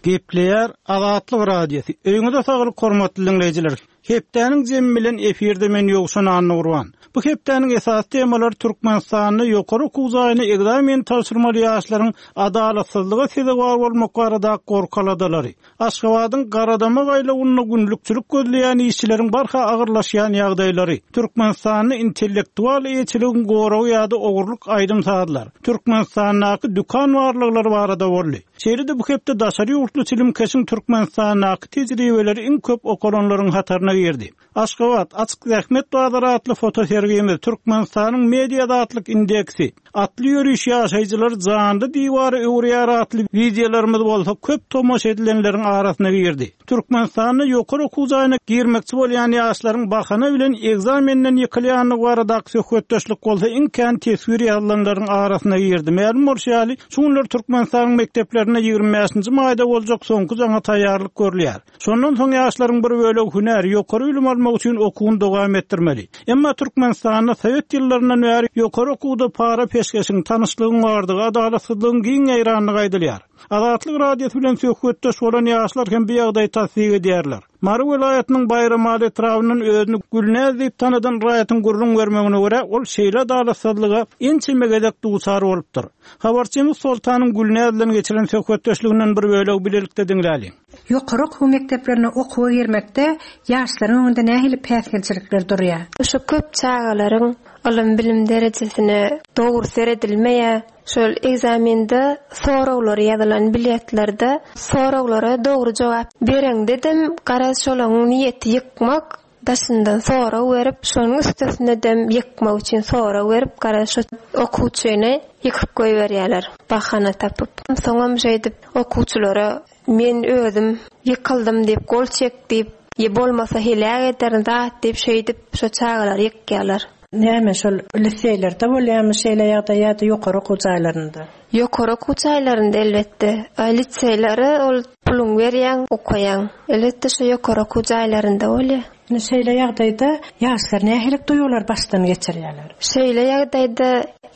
Gepleýär Azatlyk Radiosy. Öýüňize saglyk hormatly diňleýjiler. Hepdäniň jemi bilen efirde men Ýowşan Annagurban. Bu hepdäniň esasy temalary Türkmenistanda ýokary okuw jaýyna ekzamen tabşyrmaly ýaşlaryň adalatsyzlyga sezewar bolmak baradaky gorky-aladalary, Aşgabadyň Garadamak aýlawynda günlükçilik gözleýän işçileriň barha agyrlaşýan ýagdaýlary, Türkmenistanda intellektual eýeçiligiň goragy ýa-da ogurlyk aýdym-sazlar, Türkmenistandaky dükan barlaglary barada boldy. Şeýle-de bu hepde daşary ýurtly çilimkeşiň Türkmenistandaky tejribeleri iň köp okalanlaryň hataryna girdi. Aşgabat, açyk zähmet bazary atly fotosergimiz, Türkmenistanyň media azatlyk indeksi, Atly ýöriş ýaşaýjylary janly diwara öwürýär atly wideolarymyz bolsa köp tomaşa edilenleriň arasyna girdi. Türkmenistanda ýokary okuw jaýyna girmekçi bolýan ýaşlaryň bahana bilen ekzamenden ýykylýandygy baradaky söhbetdeşlik bolsa iň kän teswir ýazylanlaryň arasyna girdi. Mälim bolşy ýaly, şu günler Türkmenistanyň mekdeplerinde 25-nji maýda boljak soňky jaňa taýýarlyk görülýär. Şondan soň ýaşlaryň bir bölegi hünär, ýokary bilim almak üçin okuwyny dowam etdirmeli. Emma Türkmenistanda sowet ýyllaryndan bäri ýokary okuwda para-peşgeşiň, tanyşlygyň bardygy, adalatsyzlygyň giň ýaýrandygy aýdylýar. Azatlyk Radiosy bilen söhbetdeş bolan ýaşlar hem bu ýagdaýy tassyk edýärler. Mary welaýatynyň Baýramaly etrabyndan özüni Gülnäz diýip tanadan raýatyň gürrüň bermegine görä, ol şeýle adalatsyzlyga ençeme gezek duçar bolupdyr. Habarçymyz Soltanyň Gülnäz bilen geçiren söhbetdeşliginden bir bölegi bilelikde diňläliň. Ýokary okuw mekdeplerine okuwa girmekde ýaşlaryň öňünde nähili päsgelçilikler durýar? Şu köp çagalaryň ylym-bilim derejesine dogry seredilmeýär. Şol ekzamende soraglary ýazylan biletlerde soraglara dogry jogap bereňdedem garaz şolaryň niýeti ýykmak, daşyndan sorag berip, şonuň üstesinedem ýykmak üçin sorag berip garaz şo okuwçyny ýykyp goýberýärler bahana tapyp. Soňam şeýdip okuwçylara Men özüm ýykyldym diýip gol çek diýip, ýa bolmasa heläk ederin zat diýip şeýdip şo çagalary ýykýarlar. Näme şol liseýlerde bolýarmy şeýle ýagdaý ýa-da ýokary okuw jaýlarynda? Ýokary okuw jaýlarynda elbetde. A liseýlere ol puluňy berýäň, okaýaň. Elbetde şo ýokary okuw jaýlarynda bolýar. Indi şeýle ýagdaýda ýaşlar nähili duýgulary başdan geçirýärler? Şeýle ýagdaýda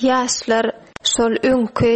ýaşlar şol öňki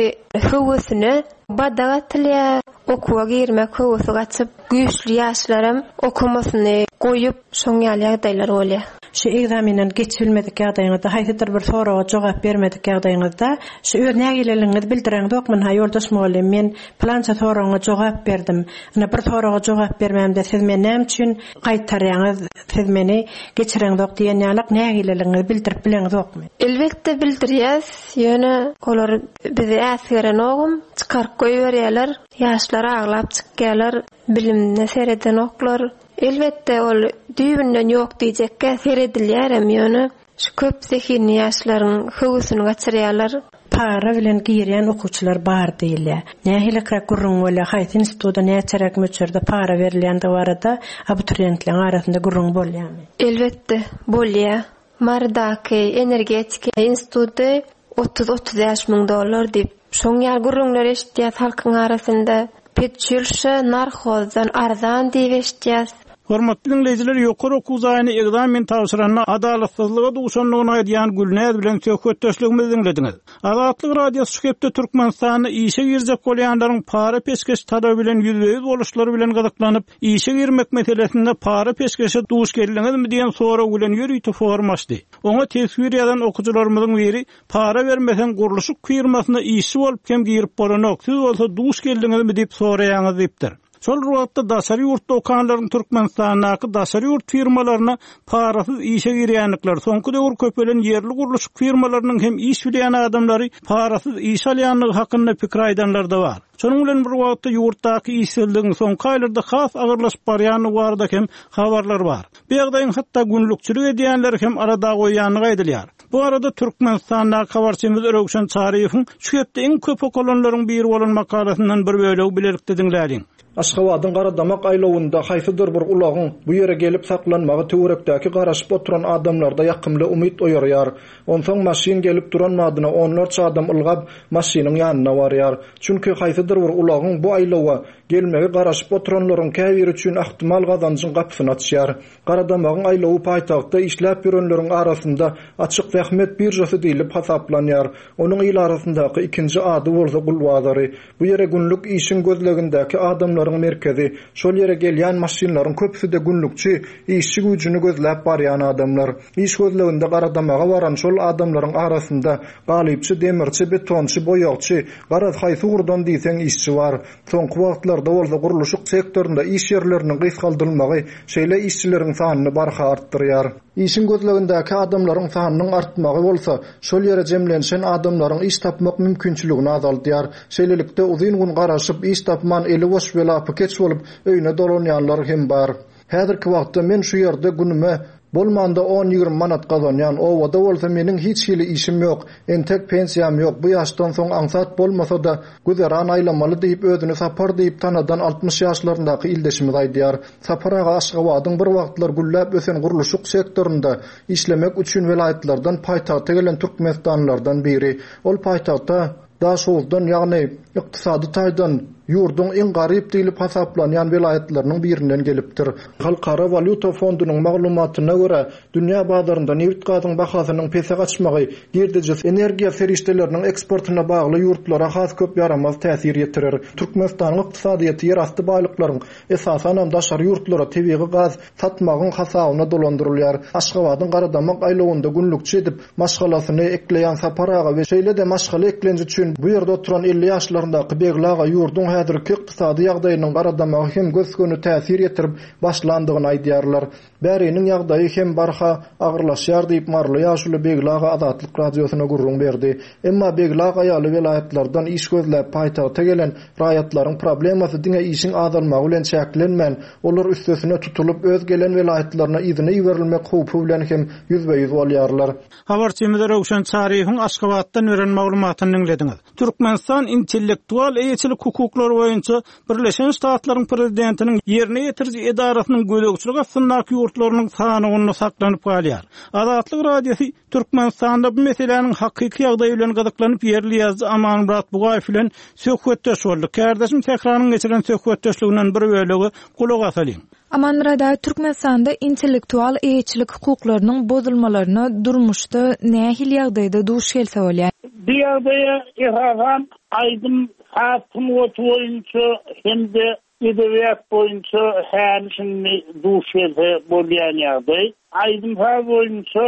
höwesine badak atylýar, okuwa girmek höwesi gaçyp, güýçli ýaşlaram okamasyny goýup, şoň ýaly ýagdaýlar bolýar. Şu ekzamenden geçibilmedik ýagdaýyňyzda, haýsydyr bir soraga jogap bermedik ýagdaýyňyzda, şu öz nägileligiňizi bildireňzokmy, ynha, ýoldaş mugallym, men pylança soragyňa jogap berdim, ynha, bir soraga jogap bermämde siz meni näme üçin gaýtarýaňyz, siz meni geçireňzok diýen ýalak nägileligiňizi bildirip bileňzokmy? Elbetde bildirýäs, ýöne olar bizi äsgerenogam, çykaryp goýberýärler, ýaşlar aglap çykýarlar, bilimine seredenoklar. Elbetde ol düýbünden ýok diýjekgä seredilýärem ýöne şu köp zehinli ýaşlaryň höwesini gaçyrýarlar. Para bilen girýän okuwçylar bar diýilýär. Nähiliräk gürrüň bolýar, haýsy instituda näçeräk möçberde para berilýändigi barada abituriýentleriň arasynda gürrüň bolýarmy? Elbetde, bolýar. Marydaky energetika instituty 30-35 müň dollar diýip, şoň ýaly gürrüňler eşitýäs halkyň arasynda. Pedçülşe narhozdan arzan diýip eşitýäs. Hormatly diňleýjiler, ýokary okuw jaýyna ekzamen tabşyranda adalatsyzlyga duşandygyny aýdýan Gülnäz bilen söhbetdeşligimizi diňlediňiz. Azatlyk Radiosy şu hepde Türkmenistanda işe girjek bolýanlaryň para-peşgeş talaby bilen ýüzbe-ýüz boluşlary bilen gyzyklanyp, Işe girmek meselesinde para-peşgeşe duş geldiňizmi diýen sorag bilen ýörite forum açdy. Oňa teswir ýazan okyjylarymyzyň biri, Para bermeseň gurluşyk firmasyna işçi bolup hem girip bolanok, siz bolsa duş geldiňizmi diýip soraýaňyz diýipdir. Şol bir wagtda daşary ýurtda okanlaryň Türkmenistandaky daşary ýurt firmalaryna parasyz işe girýändikleri, soňky döwür köpelen ýerli gurluşyk firmalarynyň hem iş bilýän adamlary parasyz işe alýandygy hakynda pikir aýdanlar-da bar. Şonuň bilen bir wagtda ýurtdaky işsizligiň soňky aýlarda has agyrlaşyp barýandygy barada hem habarlar bar. Bu ýagdaýyň hatda günlükçilik edýänleri hem alada goýýandygy aýdylýar. Bu barada Türkmenistandaky habarçymyz Röwşen Çaryýewiň şu hepde iň köp okalanlaryň biri bolan makalasyndan bir bölegi bilelikde diňläliň. Aşgabadyň Garadamak aýlawynda haýsydyr bir ulagyň bu ýere gelip saklanmagy töwerekdäki garaşyp oturan adamlarda ýakymly umyt oýarýar. Onsoň maşyn gelip duran badyna onlarça adam ylgap, maşynyň ýanyna barýar. Çünki haýsydyr bir ulagyň bu aýlawa gelmegi garaşyp oturanlaryň käbiri üçin ahtimal gazanjyň gapysyny açýar. Garadamagyň aýlawy paýtagtda işläp ýörenleriň arasynda açyk zähmet biržasy diýlip hasaplanýar. Onuň il arasyndaky ikinji ady bolsa gul bazary. Bu ýere günlük işiň gözlegindäki adamlaryň merkezi. Şol ýere gelýän maşynlaryň köpüsi-de günlükçi, işçi güýjüni gözläp barýan adamlar. Iş gözleginde Garadamaga baran şol adamlaryň arasynda galypçy, demirçi, betonçy, boýagçy, garaz haýsy ugurdan diýseň işçi bar. Soňky wagtlarda bolsa gurluşyk sektorynda iş ýerleriniň gysgaldylmagy şeýle işçileriň sanyny barha artdyrýar. Işiň gözlegindäki adamlaryň sanynyň artmagy bolsa, şol ýere jemlenşen adamlaryň iş tapmak mümkinçiligini azaldýar. Şeýlelikde, uzyn gün garaşyp, iş tapman eli boş we lapykeç bolup öýüne dolanýanlar hem bar. Häzirki wagtda men şu ýerde günüme bolmanda on-ýigrimi manat gazanýan, obada bolsa meniň hiç hili işim ýok, entek pensiýam ýok, bu ýaşdan soň aňsat bolmasa-da, güzeran aýlamaly diýip, özüni Sapar diýip tanadan 60 ýaşlaryndaky ildeşimiz aýdýar. Sapar aga Aşgabadyň bir wagtlar gülläp ösen gurluşyk sektorynda işlemek üçin welaýatlardan paýtagta gelen türkmenistanlylardan biri. Ol paýtagta Daşoguzdan, ýagny ykdysady taýdan ýurduň iň garyp diýlip hasaplanýan welaýatlarynyň birinden gelipdir. Halkara walýuta fondunyň maglumatyna görä, dünýä bazarynda nebit-gazyň bahasynyň pese gaçmagy girdejisi energiýa serişdeleriniň eksportyna bagly ýurtlara has köp ýaramaz täsir ýetirer. Türkmenistanyň ykdysadyýeti ýerasty baýlyklaryň, esasanam daşary ýurtlara tebigy gaz satmagyň hasabyna dolandyrylýar. Aşgabadyň Garadamak aýlawynda günlükçi edip maşgalasyny ekleýän Sapar aga we şeýle-de maşgala eklenji üçin bu ýerde oturan 50 ýaşlaryndaky Begli aga ýurduň häzirki ykdysady ýagdaýynyň Garadamaga hem gös-göni täsir ýetirip başlandygyny aýdýarlar. Bäriniň ýagdaýy hem barha agyrlaşýar diýip, maryly ýaşuly Begli aga Azatlyk Radiosyna gürrüň berdi. Emma Begli aga ýaly welaýatlardan iş gözläp paýtagta gelen raýatlaryň problemasy diňe işiň azalmagy bilen çäklenmän, Olar üstesine tutulyp, öz gelen welaýatlaryna yzyna iberilmek howpy bilen hem ýüzbe-ýüz bolýarlar. Habarçymyz Röwşen Çaryýewiň Aşgabatdan beren maglumatyny diňlediňiz. Türkmenistan intellektual eýeçilik hukuklary boýunça Birleşen Ştatlaryň Prezidentiniň ýerine ýetiriji edarasynyň gözegçilik astyndaky ýurtlarynyň sanawynda saklanyp galýar. Azatlyk Radiosy Türkmenistanda bu meseläniň hakyky ýagdaýy bilen gyzyklanyp ýerli ýazyjy Amanmyrat Bugaýew bilen söhbetdeş boldy. Kärdeşim Sähranyň geçiren söhbetdeşliginden bir bölegi gulak asalyň. Amanmyrat aga, Türkmenistanda intellektual eýeçilik hukuklarynyň bozulmalaryna durmuşda nähili ýagdaýda duş gelse bolýar? Bu ýagdaýa esasan aýdym-saz sungaty boýunça hem-de Edebiýat boýunça häli-şindi duş gelse bolýan ýagdaý. Aýdym-saz boýunça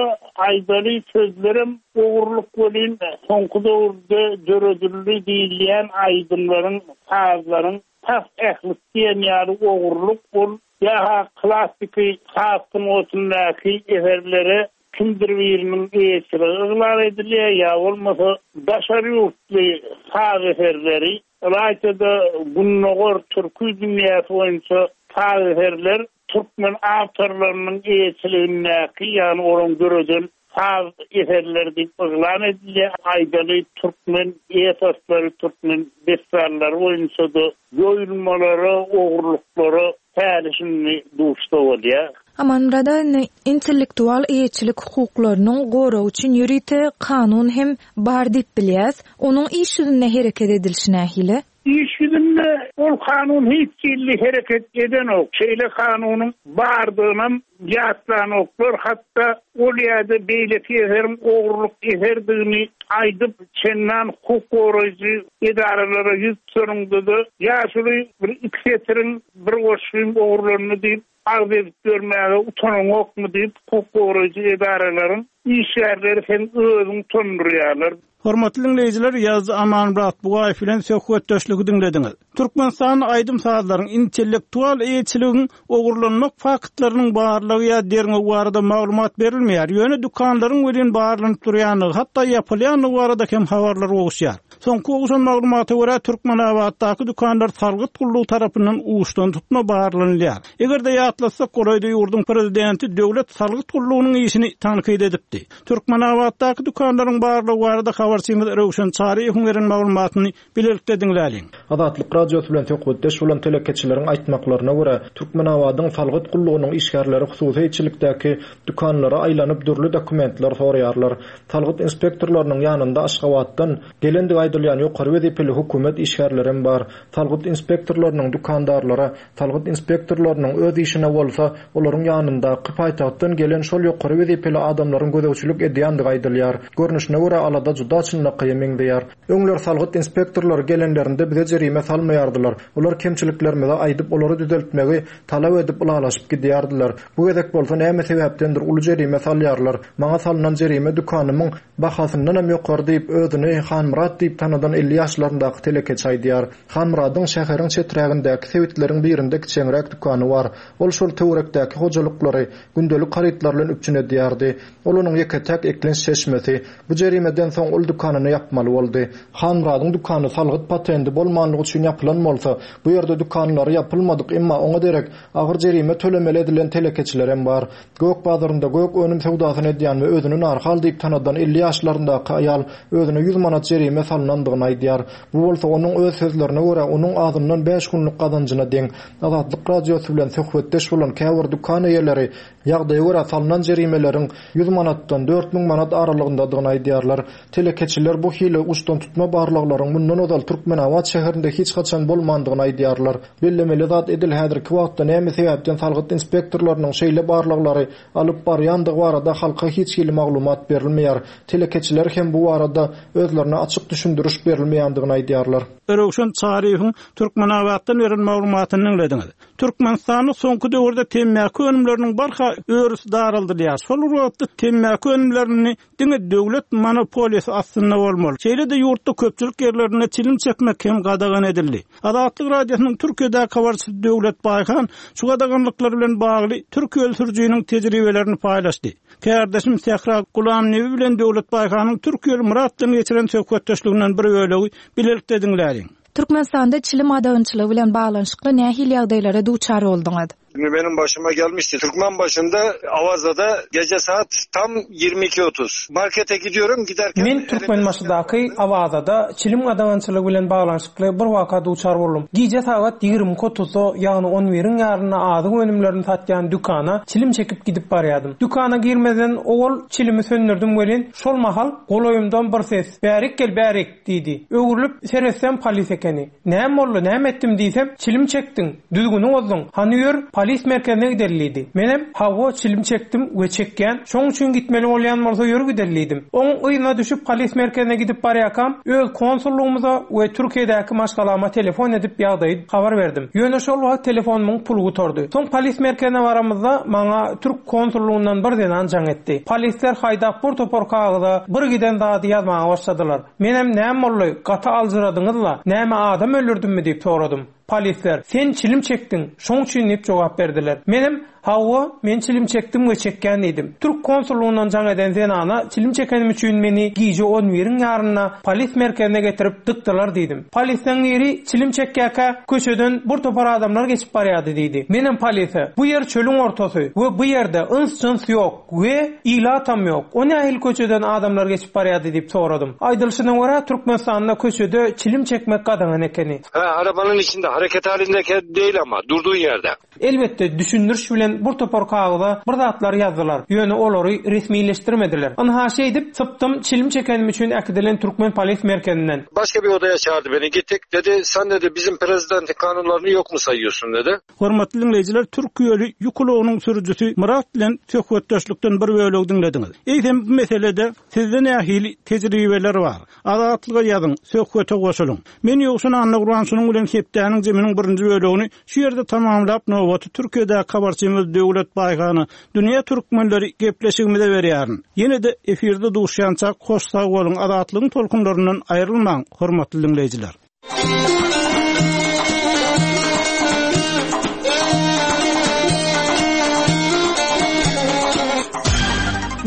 aýdaly sözlerem ogurlyk welin, soňky döwürde döredildi diýilýän aýdymlaryň, sazlaryň tas ählisi diýen ýaly ogurlyk. Ol ýa-ha klassyky saz sungatyndaky eserlere kimdir biriniň eýeçiligi yglan edilýär, ýa bolmasa daşary ýurtly saz eserleri Ylaýta-da Gündogar türki dünýäsi boýunça saz eserler türkmen awtorlarynyň eýeçiligindäki, ýagny olaryň döreden saz eserleri diýip yglan edilýär. Aýdaly, türkmen eposlary, türkmen dessanlary boýunça-da ýoýulmalara, ogurlyklara häli-şindi duşsa bolýar. Amanmyrat aga, indi intellektual eýeçilik hukuklarynyň goragy üçin ýörite kanun hem bar diýip bilýäs. Onuň iş ýüzünde hereket edilişi nähili? Iş ýüzünde ol kanun hiç hili hereket edenok. Şeýle kanunyň bardygynam ýatlanoklar. Hatda ol ýa-da beýleki eseriň ogurlyk eserdigini aýdyp, çendan hukuk goraýjy edaralara ýüz tutanyňda-da, ýaşuly bir iki setiriň bir goşgyň ogurlandy diýip, Arz edip ýörmäge utanaňokmy diýip, hukuk goraýjy edaralaryň işgärleri seň özüňi utandyrýarlar. Hormatly diňleýjiler, ýazyjy Amanmyrat Bugaýew bilen söhbetdeşligi diňlediňiz. Türkmenistanda aýdym-sazlaryň, intellektual eýeçiligiň ogurlanmak faktlarynyň barlygy ýa derňewi barada maglumat berilmeýär, ýöne dükanlaryň welin barlanyp durýandygy, hatda ýapylýandygy barada hem habarlar gowuşýar. Soňky gowşan maglumata görä, Türkmenabatdaky dükanlar salgyt gullugy tarapyndan uçdantutma barlanylýar. Eger-de ýatlatsak, golaýda ýurduň prezidenti döwlet salgyt gullugynyň işini tankyt edipdi. Türkmenabatdaky dükanlaryň barlygy barada habarçymyz Röwşen Çaryýewiň beren maglumatyny bilelikde diňläliň. Azatlyk Radiosy bilen söhbetdeş bolan telekeçileriň aýtmaklaryna görä, Türkmenabadyň salgyt gullugynyň işgärleri hususy eýeçilikdäki dükanlara aýlanyp dürli dokumentler soraýarlar. Salgyt inspektorlarynyň ýanynda Aşgabatdan gelendigi. aýdylýan ýokary wezipeli hökümet işgärlerem bar. Salgyt inspektorlarynyň dükandarlara, salgyt inspektorlarynyň öz işine bolsa, olaryň ýanyndaky paýtagtdan gelen şol ýokary wezipeli adamlaryň gözegçilik edýändigi aýdylýar. Görnüşine görä, alada juda çynlakaýa meňzeýär. Öňler salgyt inspektorlary gelenlerinde bize jerime salmaýardylar. Olar kemçiliklerimizi aýdyp, olary düzeltmegi talap edip ylalaşyp gidýärdiler. Bu gezek bolsa näme sebäpdendir uly jerime salýarlar. Maňa salnan jerime dükanymyň bahasyndanam ýokary diýip, özüni Hanmyrat diýip tanadan 50 ýaşlaryndaky telekeçi aýdýar. Hanmyradyň şäheriň çeträgindäki sebitleriň birinde kiçeňräk dükany bar. Ol şol töwerekdäki hojalyklary gündelik harytlar bilen üpjün edýärdi. Ol onuň ýeke-täk eklenç çeşmesi. Bu jerimeden soň ol dükanyny ýapmaly boldy. Hanmyradyň dükany salgyt patendi bolmanlygy üçin ýapylan bolsa, bu ýerde dükanlary ýapylmadyk, emma oňa derek agyr jerime tölemeli edilen telekeçilerem bar. Gök bazarynda gök önüm söwdasyny edýän we özüni Narhal diýip tanadan 50 ýaşlaryndaky aýal özüne 100 manat jerime salnandygyny aýdýar. Bu bolsa onuň öz sözlerine görä onuň azyndan bäş günlük gazanjyna deň. Azatlyk Radiosy bilen söhbetdeş bolan käbir dükan eýeleri ýagdaýa görä salnan jerimeleriň 100 manatdan 4000 manat aralygyndadygyny aýdýarlar. Telekeçiler bu hili uçdantutma barlaglaryň mundan ozal Türkmenabat şäherinde hiç haçan bolmandygyny aýdýarlar. Bellemeli zat edil häzirki wagtda näme sebäpden salgyt inspektorlarynyň şeýle barlaglary alyp barýandygy barada halka hiç hili maglumat berilmeýär. Telekeçiler hem bu barada özlerine açyk düşündiriş berilmeýändigini aýdýarlar. Röwşen Çaryýewiň Türkmenabatdan beren maglumatyny diňlediňiz. Türkmenistanda soňky döwürde temmäki önümleriniň barha örüsi daraldylýar. Şol bir wagtda temmäki önümlerini diňe döwlet monopoliýasy astynda bolmaly. Şeýle-de ýurtda köpçülik ýerlerinde çilim çekmek hem gadagan edildi. Azatlyk Radiosynyň Türkiýedäki habarçysy Döwlet Baýhan şu gadaganlyklar bilen bagly türkiýeli sürüjiniň tejribelerini paýlaşdy. Kärdeşim Sähra Gulamnebi bilen Döwlet Baýhanyň türkiýeli Myrat bilen geçiren söhbetdeşliginden bir bölegi bilelikde diňläliň. Türkmenistanda çilim gadagançylygy bilen baglanyşykly nähili ýagdaýlara duçar bolduňyz? Şimdi benim başıma gelmişti. Türkmenbaşı'nda Avaza'da gece saat tam 22.30. Markete gidiyorum giderken... Men Türkmenbaşydaky Awazada çilim gadagançylygy bilen baglanyşykly bir waka duçar boldum. Gije sagat 22.30-da, ýagny on biriň ýarynda azyk önümlerini satýan dükana çilim çekip gidip barýadym. Dükana girmezden owal çilimi söndürdim welin, şol mahal golaýymdan bir ses, Bärik gel, bärik! Diýdi. Öwrülip seretsem polis ekeni. Näme boldy, näme etdim diýsem, çilim çekdiň, düzgüni bozduň, hany ýör, polis merkezine gideli diýdi. Menem, hawa, çilim çekdim we çekýän, şoň üçin gitmeli bolýan bolsa ýör gideli diýdim. Oň yzyna düşüp polis merkezine gidip barýakam, öz konsullygymyza we Türkiýedäki maşgalama telefon edip ýagdaýy habar berdim. Ýöne şol wagt telefonymyň puly gutardy. Soň polis merkezine baramyzda maňa türk konsullygyndan bir zenan jaň etdi. Polisler haýdap bir topar kagyza bir giden zady ýazmaga başladylar. Menem näme boldy, gaty aljyradyňyz-la, näme adam öldürdimmi diýip soradym. Polisler, Sen çilim çekdiň, şoň üçin diýip jogap berdiler. Menem, Hawa, men çilim çekdim we çekýän diýdim. Türk konsullygyndan jaň eden zenana çilim çekenim üçin meni gije on biriň ýarynda polis merkezine getirip dykdylar diýdim. Polisleň biri çilim çekýärkä köçeden bir topar adamlar geçip barýardy diýdi. Menem polise, Bu ýer çölüň ortasy we bu ýerde yns-jyns ýok we ilatam ýok. O nähili köçeden adamlar geçip barýardy diýip soradym. Aýdylyşyna görä Türkmenistanda köçede çilim çekmek gadagan ekeni. Hä, arabanyň içinde hareket halindeki değil ama, durduğun ýerde. Elbetde, düşündiriş bilen bir topar kagyza bir zatlar ýazdylar, ýöne olary resmileşdirmediler. Ynha şeýdip, sypdym çilim çekenim üçin äkidilen türkmen polis merkezinden. Başga bir odaya çağırdı beni, gittik, dedi, sen dedi, bizim prezidentin kanunlaryny yok mu sayıyorsun dedi. Hormatly diňleýjiler, türkiýeli ýük ulagynyň sürüjisi Myrat bilen söhbetdeşlikden bir bölegi diňlediňiz. Eýsem bu meselede sizde nähili tejribeler bar? Azatlyga ýazyň, söhbete goşulyň. Men Ýowşan Annagurban şunuň bilen hepdäniň jeminiň birinji bölegini şu ýerde tamamlap nobaty Türkiýedäki habarçymyz Döwlet Baýhana Dünýä Türkmenleri gepleşigimize berýärin. Ýene-de efirde duşýançak hoş sag boluň Azatlygyň tolkunlaryndan aýrylmaň hormatly diňleýjiler.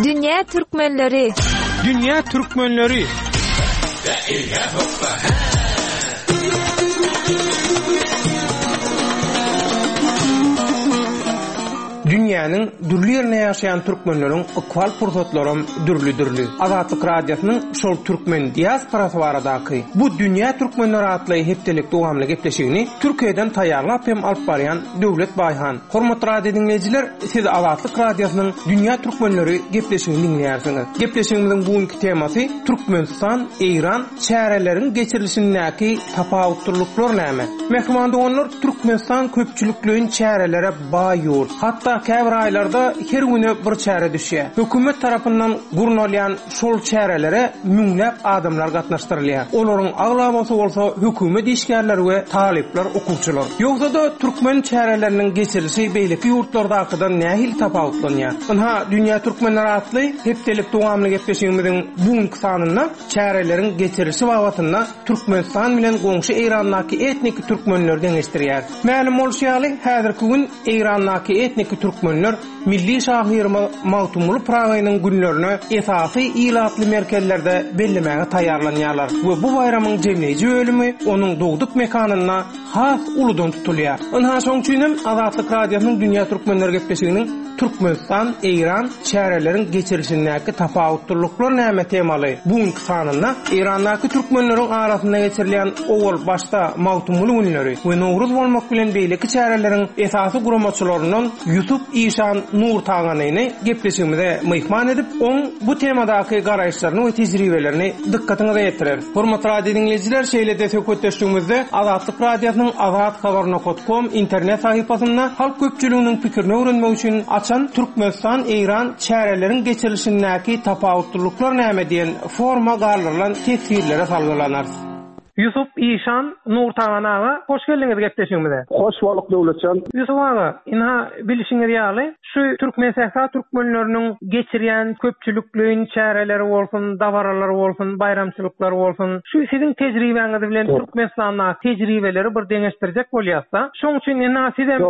Dünýä Türkmenleri. Dünýä Türkmenleri. Dünýä. Dünýäniň dürli ýerinde ýaşaýan türkmenleriň ykbal pursatlaram dürli-dürli. Azatlyk Radiosynyň şol türkmen diasporasy baradaky Bu dünýä türkmenleri atly hepdelik dowamly gepleşigini Türkiýeden taýýarlap hem alyp barýan Döwlet Baýhan. Hormatly radio diňleýjiler, siz Azatlyk Radiosynyň Dünýä türkmenleri gepleşigini diňleýärsiňiz. Gepleşigimiziň bu günki temasy Türkmenistan, Eýran çäreleriň geçirilişindäki tapawutlylyklar näme? Mähriban doganlar, Türkmenistan köpçülikleýin çärelere baý ýurt. Hatda käbir aýlarda her güne bir çäre düşýär. Hökümet tarapyndan gurnalýan şol çärelere müňläp adamlar gatnaşdyrylýar. Olaryň aglabasy bolsa hökümet işgärleri we talyplar, okuwçylar. Ýogsa-da türkmen çäreleriniň geçirilişi beýleki ýurtlardakydan nähili tapawutlanýar? Ynha, Dünýä türkmenleri atly hepdelik dowamly gepleşigimiziň bu günki sanynda çäreleriň geçirilişi babatynda Türkmenistan bilen goňşy Eýrandaky etniki türkmenleri deňeşdirýär. Mälim bolşy ýaly, häzirki gün Eýrandaky etniki türkmenler milli şahyrymyz Magtymguly Pyragynyň günlerini esasy ilatly merkezlerde bellemäge taýýarlanýarlar we bu baýramyň jemleýji bölümi onuň dogduk mekanynda has uludan tutulýar. Ynha, şoň üçin hem Azatlyk Radiosynyň Dünýä Türkmenleri gepleşiginiň Türkmenistan, Eýran çäreleriň geçirilişindäki tapawutlylyklar näme temaly bu günki sanynda Eýrandaky türkmenleriň arasynda geçirilýän owal başda Magtymguly günleri we Nowruz bolmak bilen beýleki çäreleriň esasy guramaçylaryndan Ýusup işan Nurtaganyny gepleşigimize myhman edip, oň bu temadaky garaýyşlaryny we tejribelerini dykgatyňyza ýetireris. Hormatly radio diňleýjiler, şeýle-de söhbetdeşligimizde Azatlyk Radiosynyň Azat Habar nokat kom internet sahypasynda halk köpçüliginiň pikirini öwrenmek üçin açan Türkmenistan, Eýran çäreleriň geçirilişindäki tapawutlylyklar näme diýen foruma galdyrylan teswirlere salgylanarys. Ýusup işan Nurtagan aga, hoş geldiňiz gepleşigimize. Hoş bolduk Döwletjan. Ýusup aga, ynha bilşiňiz ýaly, Şu Türkmensähra türkmenleriniň geçirýän köpçülikleýin çäreleri bolsun, dabaralary bolsun, baýramçylyklary bolsun, şu siziň tejribäňiz bilen Türkmenistandaky tejribeleri bir deňeşdirjek bolýasda. Şoň üçin ynha sizem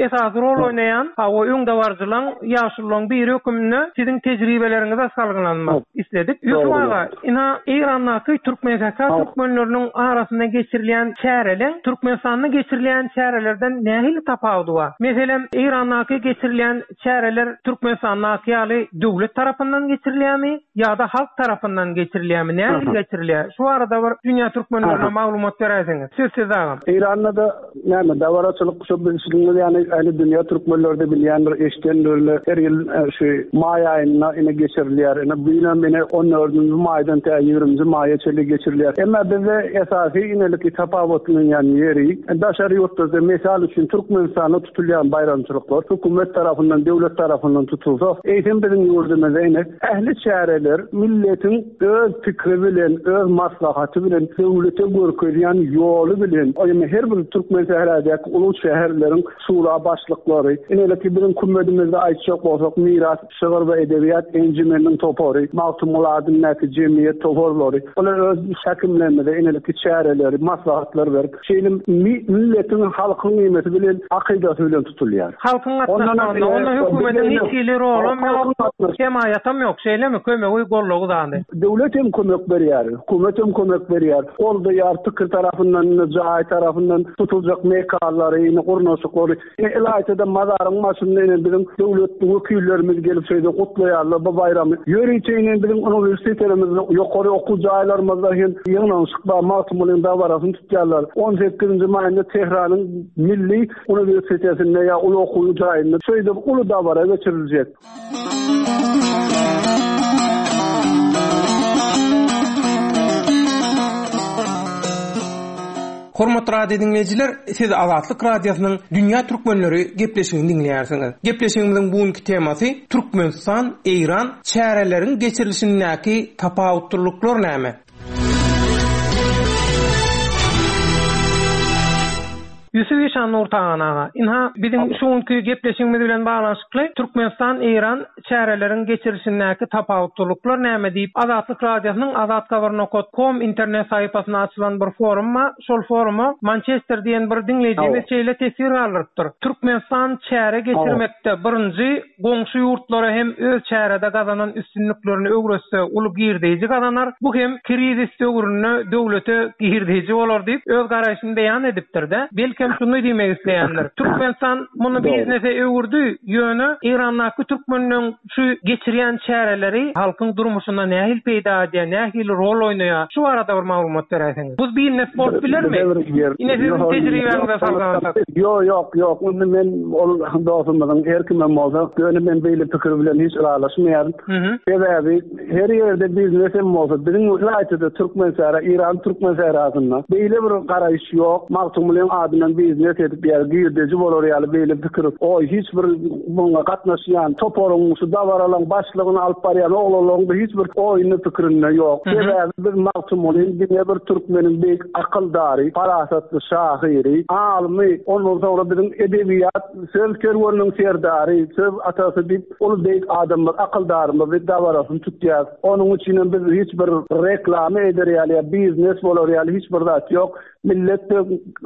esasy rol oýnaýan, hawa, öňdebaryjylaň, ýaşululaň biri höküminde siziň tejribeleriňize salgylanmak isledik. Ýusup aga, ynha Eýrandaky Türkmensähra türkmenleriniň arasynda geçirilýän çäreleň Türkmenistanda geçirilýän çärelerden nähili tapawudy bar? Meselem, Eýrandaky geçirilýän çäreler Türkmenistandaky ýaly döwlet tarapyndan geçirilýärmi ýa-da halk tarapyndan geçirilýärmi? Nähili geçirilýär? Şu barada bir dünýä türkmenlerine maglumat beräýseňiz. Söz sizde agam. Eýranda-da näme dabaraçylyk şo bilşiňiz ýaly ähli dünýä türkmenleri-de bilýändir, eşidendirler. Her ýyl şu maý aýynda ine geçirilýär. Ine bu ýylam ine on dördünji maýdan tä ýigriminji maýa çenli geçirilýär. Emma bizde esasy ineliki tapawutlanýan ýeri daşary ýurtlarda mysal üçin Türkmenistanda tutulýan baýramçylyklar hökümet tarapyndan, döwlet tarapyndan tutulsa, eýsem biziň ýurdumyzda ine ähli çäreler milletiň öz pikiri bilen, öz maslahaty bilen, döwlete görkezýän ýoly bilen, ýagny her bir Türkmensährädäki uly şäherleriň şura başlyklary, ineleki biziň kümmedimizde aýtjak bolsak, Miras şygyr we edebiýat enjimeniniň topary, Magtymguly adyndaky jemgyýet toparlary, bular öz häkimlerimize ineleki çäreleri, maslahatlar berip, Şeýle milletiň, halkyň nemesi bilen, akydasy bilen tutulýar. Halkyň gatnaşmagynda, onda hökümetiň hiç hili rolam ýok, hemaýatam ýok, şeýlemi, kömegi, goldawy zady. Döwlet hem kömek berýär, hökümet hem kömek berýär, goldaýar, pikir tarapyndan, indi jaý tarapyndan tutuljak mekanlary, indi gurnaşyklary. Ine, ylaýta-da mazaryň başynda ine biziň döwlet wekillerimiz gelip şeýle gutlaýarlar bu baýramy. Ýörite ine biziň uniwersitetlerimizde, ýokary okuw jaýlarymyzda hem ýygnanyşyk bar, Magtymgulyň dabarasyny tutýarlar. On sekizinji maýynda Tähranyň Milli uniwersitetinde ýa uly okuw jaýynda şeýdip uly dabara geçiriljek. Hormatly radio diňleýjiler, siz Azatlyk Radiosynyň Dünýä Türkmenleri gepleşigini diňleýärsiňiz. Gepleşigimiziň bu günki temasy Türkmenistan, Eýran çäreleriň geçirilişindäki tapawutlylyklar näme? Ýusup işan Nurtagan aga, ynha, biziň şu günki gepleşigimiz bilen baglanyşykly Türkmenistan-Eýran çäreleriň geçirilişindäki tapawutlylyklar näme diýip, Azatlyk Radiosynyň Azathabar nokat kom internet sahypasynda açylan bir forum bar. Şol foruma Mançester diýen bir diňleýjimiz şeýle teswir galdyrypdyr, Türkmenistan çäre geçirmekde birinji goňşy ýurtlara hem öz çärede gazanan üstünliklerini öwretse uly girdeýji gazanar, bu hem krizis döwründe döwlete girdeýji bolar diýip, öz garaýşyny beýan edipdir-de. Belkem. Belkem şuny diýmek isleýändir. Türkmenistan muny biznese öwürdi, ýöne Eýrandaky türkmenleň şu geçirýän çäreleri halkyň durmuşynda nähili peýda edýär, nähili rol oýnaýar? Şu barada bir maglumat beräýseňiz. Bu biznes bolup bilermi? Ine siziň tejribäňize salgylansak. Ýok, ýok, ýok. Indi men ol dostumyzyň her kimem bolsa, ýöne men beýle pikir bilen hiç ylalaşmaýaryn. Sebäbi Her ýerde biznes hem bolsa, biziň ylaýta-da Türkmensähra, Eýran Türkmensährasynda beýle bir garaýyş ýok. Magtymgulyň adyndan biznes edip ýa girdeji bolar ýaly beýle pikir oý hiç bir muňa gatnaşýan toparyň, şu dabaralaryň başlygyny alyp barýan oglanlaryň-da hiç bir oýunda pikirinde ýok. Sebäbi biz Magtymgulyny diňe bir türkmeniň beýik akyldary, parasatly şahyry, alymy, ondan soňra biziň edebiýat, söz kerweniniň serdary, söz atasy diýip Uly beýik adamymyz, akyldarymyz diýip dabarasyny tutýas. Onuň üçinem biz hiç bir reklama eder ýaly ýa biznes bolar ýaly hiç bir zat ýok. Millet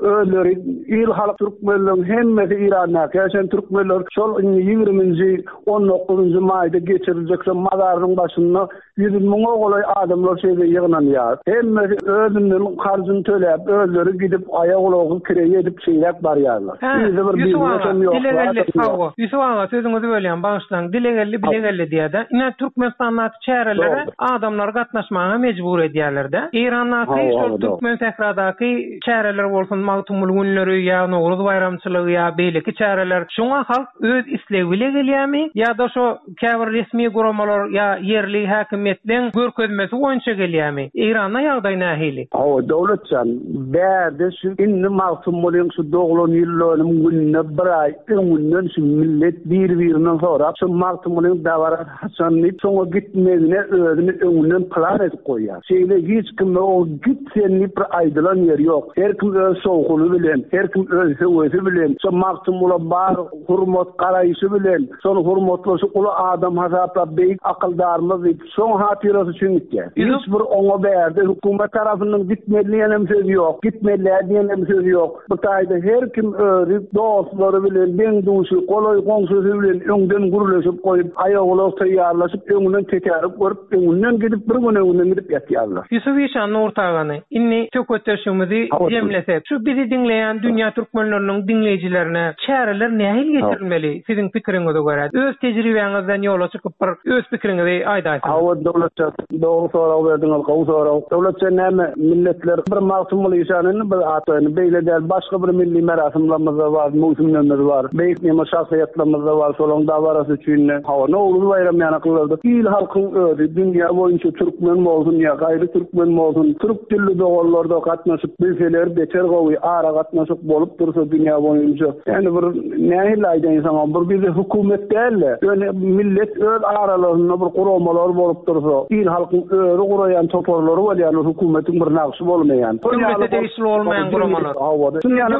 özleri il halk türkmenleriň hemmesi Eýrandaky ýaşaýan türkmenler şol indi ýigriminji, on dokuzynjy maýda geçiriljek şo mazarynyň başynda Ýüz müňe golaý adamlar şeýle ýygnanýar. Hemmesi özünden harjyny töläp, özleri gidip, aýagulagy kireý edip şeýläk barýarlar. Hä, Yzy bir Ýusup aga, biznesem ýok, dile geldi, zadam ýok. hawa, Ýusup aga, sözüňizi bölýän, bagyşlaň, dile geldi, bile geldi diýýär-dä. Ine, Türkmenistandaky çärelere Dogry. adamlary gatnaşmaga mejbur edýärler-dä. Eýrandaky Hawa, şol hawa, dogry. türkmen sähradaky çäreler bolsun, Magtymguly günleri ýa Nowruz baýramçylygy ýa beýleki çäreler, şoňa halk öz islegi bile gelýärmi ýa-da şo Käbir resmi guramalar ýa ýerli häkimiýetleň görkezmesi boýunça gelýärmi? Eýranda ýagdaý nähili? Hawa, Döwletjan, bärde şu indi Magtymgulyň şu doglan ýyldönüm gününe bir aý öňünden şu millet bir-birinden sorap, şu Magtymgulyň dabarasy haçan diýip, şoňa gitmegine özüni öňünden plan edip goýýar. Şeýle hiç kime o git sen diýip bir aýdylan ýeri ýok. Her kim öz şowhuny bilen, her kim öz höwesi bilen şo Magtymgula bar hurmat garaýşy bilen şony hurmatlaşy uly adam hasaplap beýik akyldarymyz diýip şoň hatyrasy üçin gitýär. Hiç bir oňa bärde hökümet tarapyndan gitmeli diýenem sözi ýok, gitmeli däl diýenem sözi ýok. Bu taýda her kim özi dostlary bilen, deň-duşy, golaý goňşusy bilen öňden gürleşip goýup, aýagulag taýýarlaşyp öňünden tetärik görüp öňünden gidip bir gün öňünden gidip ýatýarlar. Ýusup işan Nurtagany, indi söhbetdeşligimizi jemlesek, şu bizi diňleýän dünýä türkmenleriniň diňleýjilerine çäreler nähili geçirilmeli siziň pikiriňize görä? Öz tejribäňizden ýola çykyp bir öz pikiriňizi aýdaýsaňyz. Hawa Döwletjan, dogry sorag berdiňiz, gowy sorag. Döwletjan näme milletler bir Magtymguly işan indi bir atlaýyn, beýle däl başga bir milli merasymlarymyzda bar, möwsümlerimiz bar, beýik neme şahsyýetlerimiz-de bar, şolaryň dabarasy üçin-de. Hawa, Nowruz baýramy ýanaklylarda il-halkyň özi dünýä boýunça türkmen bolsun ýa gaýry türkmen bolsun, türk dilli doganlar-da gatnaşyp bilseler beter gowy, aragatnaşyk bolup dursa dünýä boýunça. Ýani bir nähili aýdaýyn saňa, bir bize hökümet däl-de, ýöne millet öz aralarynda bir guramalar bolup dursa, il-halkyň özi guraýan toparlary bolýar, hökümetiň bir nagşy bolmaýan. Döwlete degişli bolmaýan guramalar. Hawa. Şuny ýaly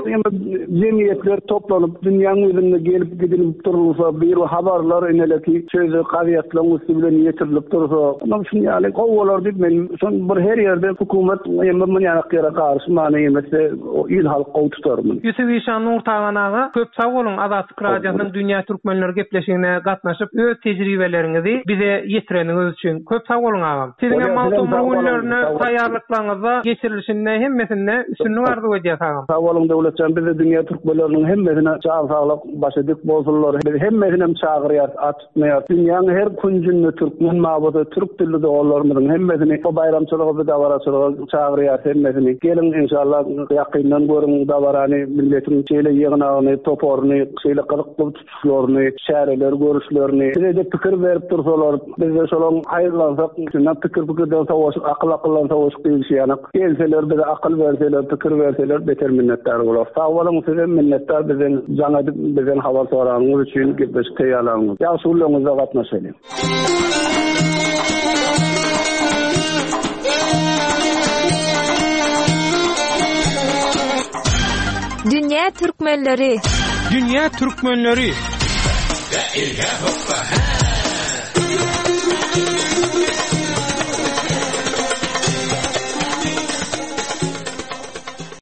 jemgyýetler toplanyp, dünýäň ýüzünde gelip gidilip durulsa, bir habarlar ineleki şeýle gazetleň üsti bilen ýetirilip dursa, onam şuny ýaly gowy bolar diýip men şon bir her ýerde hökümet ýa muny ýanak ýere garyşmany ýemese il halk gowy tutar muny. Ýusup işan Nurtagan aga köp sag boluň Azatlyk Radiosynyň Dünýä Türkmenleri gepleşigine gatnaşyp öz tejribeleriňizi bize ýetireniňiz üçin köp sag boluň agam. Siziňem Magtymguly günlerine taýýarlyklaryňyzda geçirilişinde hemmesinde üstünlik arzuw edýäs agam. Sag boluň Döwletjan bizde dünýä türkmenleriniň hemmesine jan saglyk başy dik bolsunlar biz hemmesinem çagyrýas at tutmaýas dünýäň her künjünde türkmen mabada türk dilli doganlarymyzyň hemmesini bu baýramçylyga bu dabaraçylyga çagyrýas hemmesini geliň inşallah ýakyndan görüň dabarany milletiň şeýle ýygnagyny toparyny şeýle gyzykly tutuşlaryny, çäreleri görüşlerini, bize-de pikir berip dursalar, biz-de şolaň haýyrlansak, şundan pikir pikirden sowaşyk, akyl akyldan sowaşyk diýlişi ýaly, gelseler bize akyl berseler, pikir berseler beter minnetdar bolarys. Sag boluň, sizem minnetdar bizden jaň edip, bizden habar soranyňyz üçin, gepleşik taýýarlanyňyz. Ýagşy günleriňizde gatnaşalyň. Dünýä türkmenleri. Dünýä türkmenleri.